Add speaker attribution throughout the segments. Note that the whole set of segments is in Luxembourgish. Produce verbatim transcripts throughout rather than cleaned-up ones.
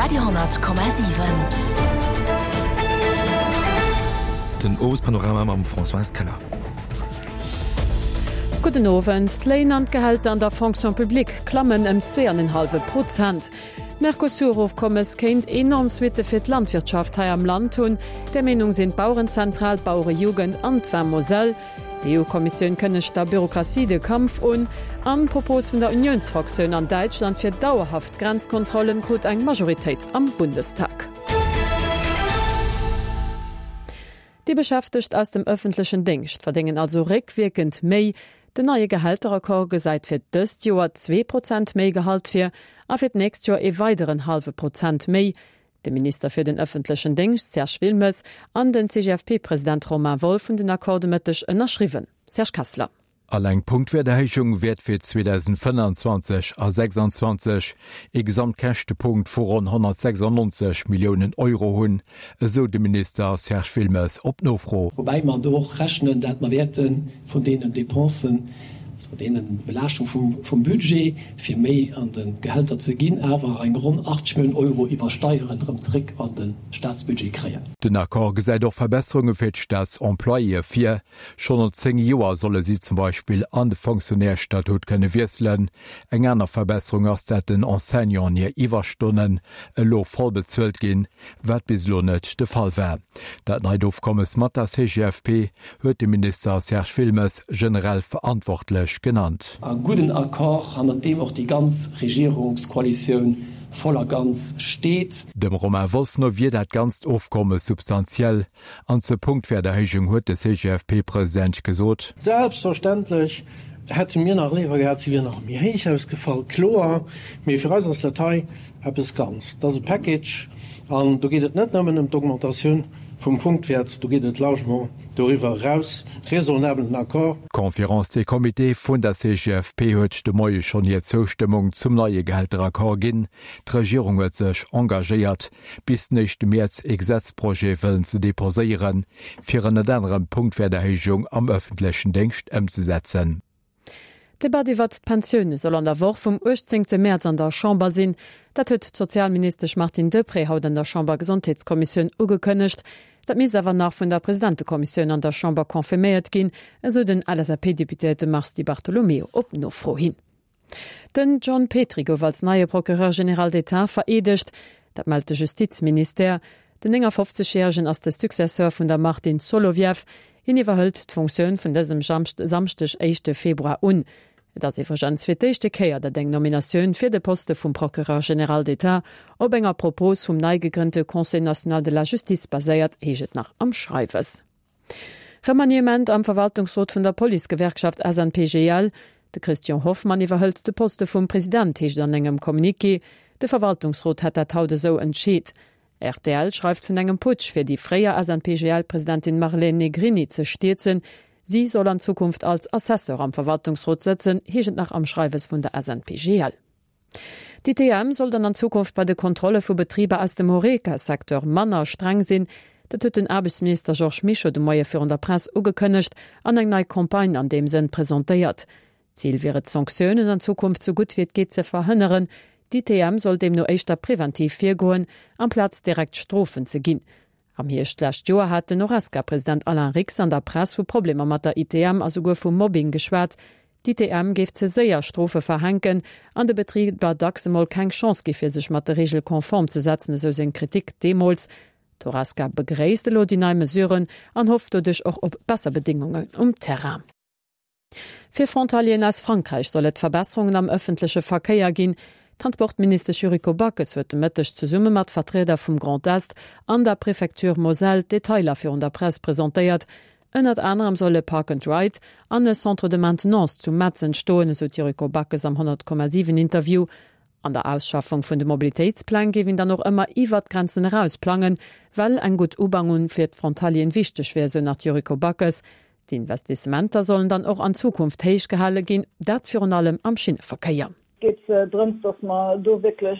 Speaker 1: Radio honnert Komma siwen.
Speaker 2: Den Owespanorama mam Françoise Keller.
Speaker 3: Gudden Owend. D'Léin an d'Gehälter an der Fonction publique klammen ëm zwee an en hallwe Prozent. D'Mercosur-Ofkommes kéint enorm Suitte fir d'Landwirtschaft hei am Land hunn. Där Meenung sinn d'Bauerenzentral, d'Bauerejugend an d'Vin Moselle. D'EU-Kommissioun kënnegt der Bürokratie de Kampf un. An d'Propos vun der Unionsfraktioun an Däitschland fir dauerhaft Grenzkontrollen krut eng Majoritéit am Bundestag. Déi Beschäftegt aus dem ëffentlechen Déngscht verdéngen also réckwierkend méi. Den neie Gehälteraccord gesäit fir dëst Joer zwee Prozent méi Gehalt vir a fir d'nächst Joer ee weideren hallwe Prozent méi. De Minister fir den ëffentlechen Déngscht Serge Wilmes an den C G F P-President Romain Wolff hunn den Accord de Mëtteg ënnerschriwwen. Serge Kessler.
Speaker 4: Alleng d'Punktwäerterhéijung wäert fir zweedausendfënnanzwanzeg a sechsanzwanzeg ee Gesamtkäschtepunkt vu ronn honnertsechsannonzeg Milliounen Euro hunn, esou de Minister Serge Wilmes op Nofro.
Speaker 5: Woubäi mer do och rechnen, dat mer wäerte vun deenen Dépensen, also deene Belaaschtung vum Budget, fir méi an de Gehälter ze ginn, awer eng ronn achtzeg Milliounen Euro iwwer Steieren erëm zeréck an de Staatsbudget kréien.
Speaker 4: Den Accord gesäit och Verbesserunge fir d'Staatsemployéë vir. Schonn no zéng Joer solle si zum Beispill an de Fonctionnaires-Statut kënne wiesselen. Eng aner Verbesserung ass, dat den Enseignanten hir Iwwerstonnen elo voll bezuelt ginn, wat bis elo net de Fall war. Dat neit Ofkommes mat der C G F P huet de Minister Serge Wilmes generell verantwortlech genannt.
Speaker 5: E gudden Accord, hannert deem och déi ganz Regierungskoalitioun voll a ganz steet.
Speaker 4: Dem Romain Wolff no wier dat ganzt Ofkommes substantiell. An zur Punktwäerterhéijung huet de C G F P-President gesot.
Speaker 6: Selbstverständlech hätte mir nach léiwer gehat, se wier nach méi héich ausgefall, kloer. Mee fir eis ass dat hei eppes Ganzt. Dat ass e Package an do geet et net nëmmen ëm d'Augmentatioun vum Punktwäert, do geet et largement doriwwer eraus. Raisonnabelen Accord.
Speaker 4: D'Conférence des Comités vun der C G F P huet de Moie schonn hir Zoustëmmung zum neie Gehälteraccord ginn. D'Regierung huet sech engagéiert, bis den éischte Mäerz e Gesetzprojet wëllen ze deposéieren, fir ënnert anerem d'Punktwäerterhéijung am ëffentlechen Déngscht ëmzesetzen.
Speaker 3: D'Debatt iwwert d'Pensioune soll an der Woch vum uechtzéngte Mäerz an der Chamber sinn. Dat huet d'Sozialministesch Martine Deprez haut an der Chambergesondheetskommissioun ugekënnegt. Dat misst awer nach vun der Presidentekommissioun an der Chamber confirméiert ginn, esou den L S A P-Deputéierte Mars Di Bartolomeo op Nofro hin. Den John Petry gouf als neie Procureur général d'État vereedegt, dat mellt de Justizministère. Den néngafofzeg-Järegen ass de Successeur vun der Martine Solovieff. Hien iwwerhëlt d'Funktioun vun dësem Samschdeg, éischte Februar un. Et ass iwwregens fir d'éischte Kéier, datt eng Nominatioun fir de Poste vum Procureur général d'État op enger Propos vum nei gegrënnte Conseil national de la justice baséiert, heescht et nach am Schreiwes. Remaniement am Verwaltungsrot vun der Policegewerkschaft S N P G L. De Christian Hoffmann iwwerhëlt de Poste vum President, heescht an engem Communiqué. De Verwaltungsrot hätt dat haut esou entscheet. R T L schreift vun engem Putsch fir déi fréier S N P G L-Presidentin Marlène Negrini ze stierzen. Si soll an Zukunft als Assesseur am Verwaltungsrot sëtzen, heescht et nach am Schreiwes vun der S N P G L. D'I T M soll dann an Zukunft bei de Kontrolle vu Betriber aus dem Horeca-Secteur manner streng sinn. Dat huet den Aarbechtsminister Georges Mischo de Moie virun der Press ugekënnegt an eng nei Campagne an deem Sënn presentéiert. Zil wier et Sanktiounen an Zukunft sou gutt wéi et geet ze verhënneren. D'I T M soll deemno éischter preventiv virgoen, amplaz direkt Strofen ze ginn. Am Hierscht d'lescht Joer hat den Horesca-President Alain Rix an der Press vu Problemer mat der I T M a souguer vu Mobbing geschwat. D'I T M géif ze séier Strofe verhänken an de Betriber dacks emol keng Chance gi fir sech mat der Reegel konform ze setzen, esou seng Kritik deemools. D'Horesca begréisst elo déi nei Mesuren an hofft doduerch och op besser Bedéngungen um Terrain. Fir Frontalieren aus Frankräich soll et Verbesserungen am ëffentleche Verkéier ginn. D'Transportministesch Yuriko Backes huet de Mëtteg zesumme mat Vertrieder vum Grand Est an der Prefecture Moselle d'Detailer virun der Press presentéiert. Ënnert anerem soll e Park and Ride an e Centre de maintenance zu Metz entstoen, esou d'Yuriko Backes am honnert Komma siwen Interview. An der Ausschaffung vun de Mobilitéitspläng géif een dann och ëmmer iwwert d'Grenzen eraus plangen, well eng gutt Ubannung fir d'Frontalieren wichteg wier, esou nach d'Yuriko Backes. D'Investissementer sollen dann och an Zukunft héich gehale ginn, dat virun allem am Schinneverkéier.
Speaker 1: Et geet drëms, dass mer do wierklech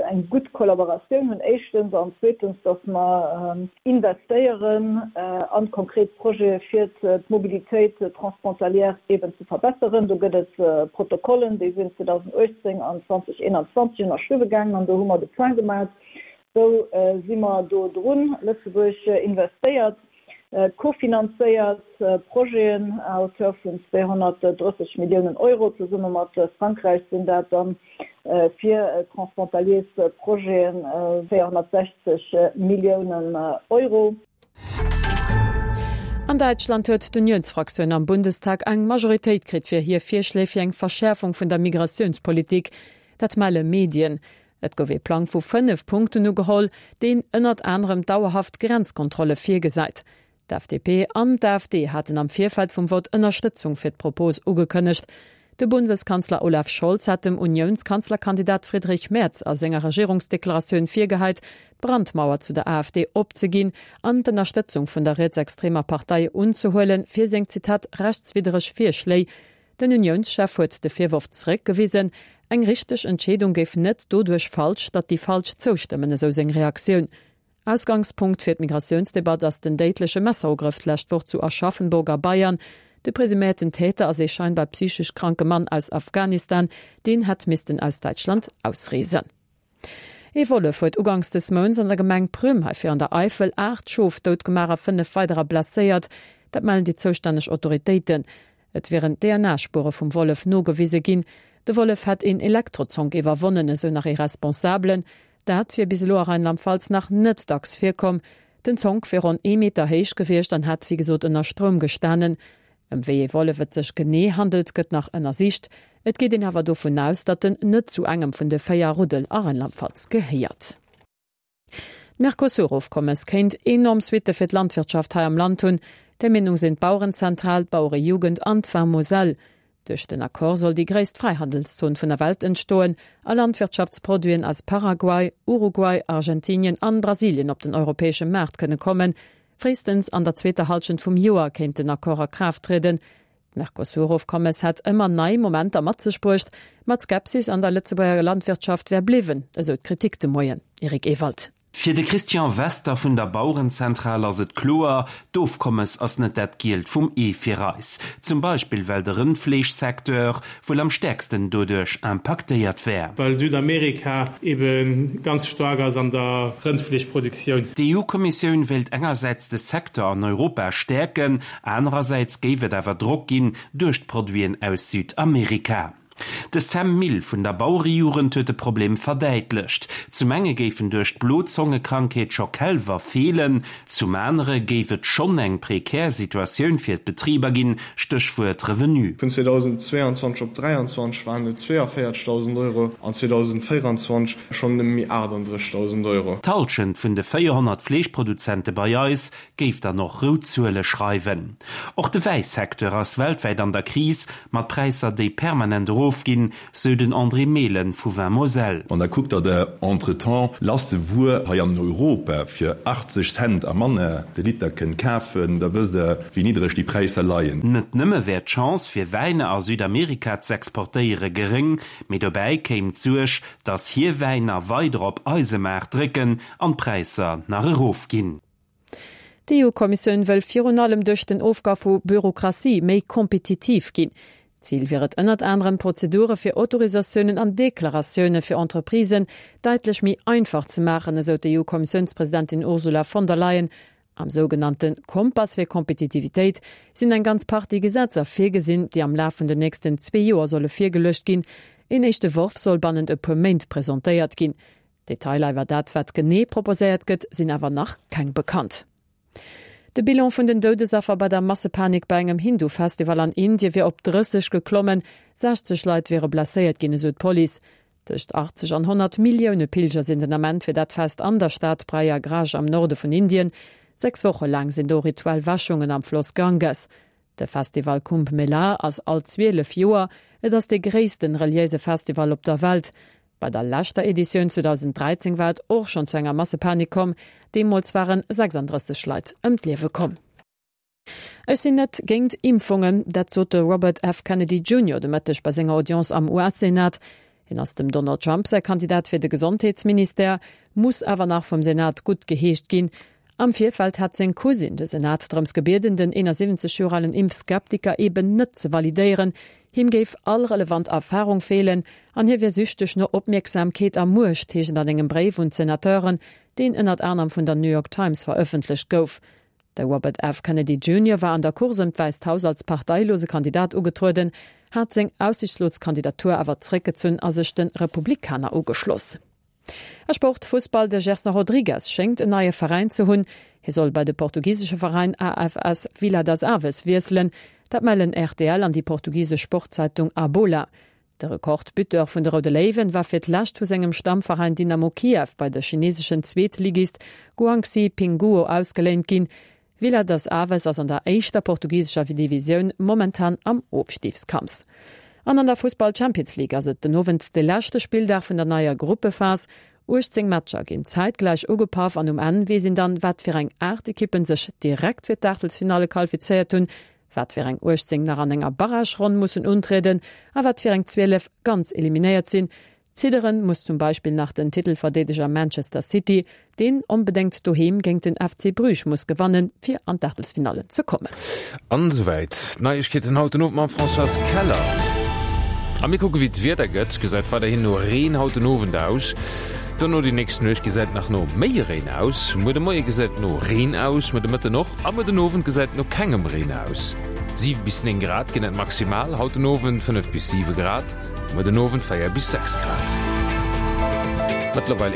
Speaker 1: eng gutt Kollaboratioun hunn, éischtens, an zweetens, dass mer investéieren a konkret Projete fir d'Mobilitéit transfrontalière eben ze verbesseren. Do gëtt et Protokollen, déi sinn zweedausendachtzéng an zweedausendeenanzwanzeg ënnerschriwwe gaangen an do hu mer de Point gemaach. Sou si mer do drun. Lëtzebuerg investéiert, kofinanzéiert Projeten à hauteur vun zweehonnertdrësseg Milliounen Euro. Zesumme mat Frankräich sinn dat dann fir transfrontaliers Projeten véierhonnertsechzeg Milliounen Euro.
Speaker 3: An Däitschland huet d'Uniounsfraktioun am Bundestag eng Majoritéit kritt fir hir Virschléi fir eng Verschäerfung vun der Migratiounspolitik. Dat melle Medien. Et gouf ee Plang vu fënnef Punkten ugeholl, deen ënnert anerem dauerhaft Grenzkontrolle virgesäit. D'F D P an d'A F D haten am Virfeld vum Vott Ënnerstëtzung fir d'Propos ugekënnegt. De Bundeskanzler Olaf Scholz hat dem Uniounskanzlerkandidat Friedrich Merz a senger Regierungsdeklaratioun virgehäit, d'Brandmauer zu der A F D opzeginn an d'Ënnerstëtzung vun der rietsextremer Partei unzehuelen, fir seng, Zitat, rechtswiddereg Virschléi. Den Uniounschef huet de Virworf zeréckgewisen. Eng richteg Entscheedung géif net doduerch falsch, datt déi Falsch zoustëmmen, esou seng Reaktioun. Ausgangspunkt fir d'Migratiounsdebatt ass den déidleche Messerugrëff d'lescht Woch zu Aschaffenburg a Bayern. De presuméierten Täter ass ee scheinbar psychesch kranke Mann aus Afghanistan, deen hätt missten aus Däitschland ausreesen. Ee Wollef huet uganks des Mounts an der Gemeng Prüm hei fir an der Eifel aacht Schof doutgemaach a fënnef weiderer blesséiert. Dat mellen déi zoustänneg Autoritéiten. Et wieren D N A-Spuere vum Wollef nogewise ginn. De Wollef hätt een Elektrozonk iwwerwonnen, esou nach ee Responsabelen. Dat wier bis elo a Rheinland-Pfalz nach net dacks virkomm. Den Zonk wier ronn ee Meter héich gewiescht an hätt wéi gesot ënner Stroum gestanen. Ëm wéi ee Wollef et sech genee handelt, gëtt nach ënnersicht. Et geet een awer dovun aus, datt en net zu engem vun de véier Ruddel a Rheinland-Pfalz gehéiert. D'Mercosur-Ofkommes kéint enorm Suitte fir d'Landwirtschaft hei am Land hunn. Där Meenung sinn d'Bauerenzentral, d'Bauerejugend an d'Vin Moselle. Duerch den Accord soll déi gréisst Fräihandelszon vun der Welt entstoen a Landwirtschaftsproduiten aus Paraguay, Uruguay, Argentinien an Brasilien op den europäesche Maart kënne kommen. Fréistens an der zweeter Hallschent vum Joer kéint den Accord a Kraaft trieden. D'Mercosur-Ofkommes hätt ëmmer nei Momenter mat sech bruecht, ma d'Skepsis an der Lëtzebuerger Landwirtschaft wär bliwwen, esou d'Kritik de Moien. Eric Ewald.
Speaker 7: Fir de Christian Wester vun der Bauerenzentral ass et kloer, D'Ofkommes ass net dat Gielt vum Ee fir eis. Zum Beispill well de Rëndfleeschsecteur wuel am stäerksten doduerch impaktéiert wär.
Speaker 8: Well Südamerika ebe ganz staark ass an der Rëndfleeschproduktioun.
Speaker 7: D'E U-Kommissioun wéilt engersäits de Secteur an Europa stäerken, anerersäits géif et awer Drock ginn duerch d'Produiten aus Südamerika. De Sam Mille vun der Bauerejugend huet de Problem verdäitlecht. Zum enge géifen duerch d'Blozongekrankheet scho Kälwer feelen, zum anere géif et schonn eng prekär Situatioun fir d'Betriber ginn, Stéchwuert Revenu.
Speaker 9: Vun zweedausendzweeanzwanzeg op dräianzwanzeg waren et zweeavéierzegdausend Euro an zweedausendvéieranzwanzeg schonn nëmme méi aachtanddrëssigdausend Euro.
Speaker 7: D'Hallschent vun de véierhonnert Fleeschproduzente bei eis géif dann och rout Zuele schreiwen. Och de Wäisecteur ass weltwäit an der Kris, mat Präisser déi permanent erofginn, sou den André Mehlen vu Vin Moselle.
Speaker 10: Wann Der kuckt, datt Der entretemps lasse Wuer hei an Europa fir achtzeg Cent a manner de Liter kënnt kafen, da wësst Der, wéi niddreg déi Präisser leien.
Speaker 7: Net nëmme wär d'Chance fir Wäiner a Südamerika z'exportéiere geréng, mee dobäi kéim d'Suerg, datt hir Wäiner weider op eise Maart drécken an d'Präisser nach erofginn.
Speaker 3: D'E U-Kommissioun wëll virun allem duerch den Ofbau vu Bürokratie méi kompetitiv ginn. Zil wier et ënnert anerem Prozedure fir Autorisatiounen an Deklaratioune fir Entreprisen däitlech méi einfach ze maachen, esou d'E U-Kommissiounspresidentin Ursula von der Leyen. Am sougenannte Kompass fir Kompetitivitéit sinn eng ganz Partie Gesetzer virgesinn, déi am Laf vun den nächsten zwee Joer solle virgeluecht ginn. Een éischte Entworf soll bannent e puer Méint presentéiert ginn. Detailer iwwer dat wat genee proposéiert gëtt, sinn awer nach keng bekannt. De Bilan vun den Doudesaffer bei der Massepanik bei engem Hindu-Festival an Indie wier op drësseg geklommen, sechzeg Leit wiere blesséiert ginn, esou d'Police. Tëscht achtzeg an honnert Millioune Pilger sinn den Ament fir dat Fest an der Stad Prayagraj am Norde vun Indien. Sechs Woche laang sinn do rituell Wäschungen am Floss Ganges. De Festival Kumbh Mela ass all zwielef Joer, et ass de gréissten reliéise Festival op der Welt. Bei der leschter Editioun zweedausenddräizéng war et och schonn zu enger Massepanik komm, deemools waren sechsanddrësseg Leit ëm d'Liewe komm. Ech sinn net géint Impfungen, dat sot de Robert F. Kennedy Junior de Mëtteg bei senger Audience am U S-Senat. Hien ass dem Donald Trump säi Kandidat fir de Gesondheetsministère, muss awer nach vum Senat guttgeheescht ginn. Am Virfeld hat seng Cousine de Senat drëms gebieden, den eenasiwwenzeg Joer alen Impfskeptiker eben net ze validéieren. Him géif all relevant Erfarung feelen an hie wier süchteg no Opmierksamkeet a Muecht, heescht et an engem Bréif un d'Senateuren, deen ënnert anerem vun der New York Times verëffentlecht gouf. De Robert F. Kennedy Junior war an der Course ëm d'Wäisst Haus als parteilose Kandidat ugetrueden, hat seng aussichtslos Kandidatur awer zeréckgezunn a sech de Republikaner ugeschloss. A Sport, Fussball, De Gerson Rodrigues schéngt en neie Veräin ze hunn. Hie soll bei de portugisesche Veräin A F S Vila das Aves wiesselen. Dat mellen R T L an déi portugisesch Sportzeitung A Bola. De Rekordbuteur vun de Roude Léiwen war fir d'lescht vu sengem Stammveräin Dynamo Kiew bei de chineseschen Zweetligist Guangxi Pingguo ausgeléint ginn. Vila das Aves ass an der éischter portugisescher Divisioun momentan am Ofstigskampf. An an der Fussball Champions League ass et den Owend de leschte Spilldag vun der neier Gruppephas. uechtzéng Matcher ginn zäitgläich ugepaff an um Enn weess een dann, wat fir eng aacht Ekippen sech direkt fir d'Aachtelsfinalle qualifizéiert hunn, wat fir eng uechtzéng nach an enger Barrageronn mussen untrieden a wat fir eng zwielef ganz eliminéiert sinn. Zidderen muss zum Beispill nach den Titelverdeedeger Manchester City, deen onbedéngt doheem géint den F C Bruges muss gewannen, fir an d'Aachtelsfinalle ze kommen.
Speaker 11: An esouwäit d'Neiegkeeten haut den Owend mam Françoise Keller. A mir kucke wéi d'Wieder gëtt. Gesäit weiderhin no Reen haut den Owend aus. Dono déi nächst Nuecht gesäit nach no méi Reen aus. Muer de Moie gesäit no Reen aus, muer de Mëtten och a muer den Owend gesäit no kengem Reen aus. Siwe bis néng Grad ginn et maximal haut den Owend, fënnef bis siwe Grad muer den Owend, véier bis sechs Grad. Mëttlerweil.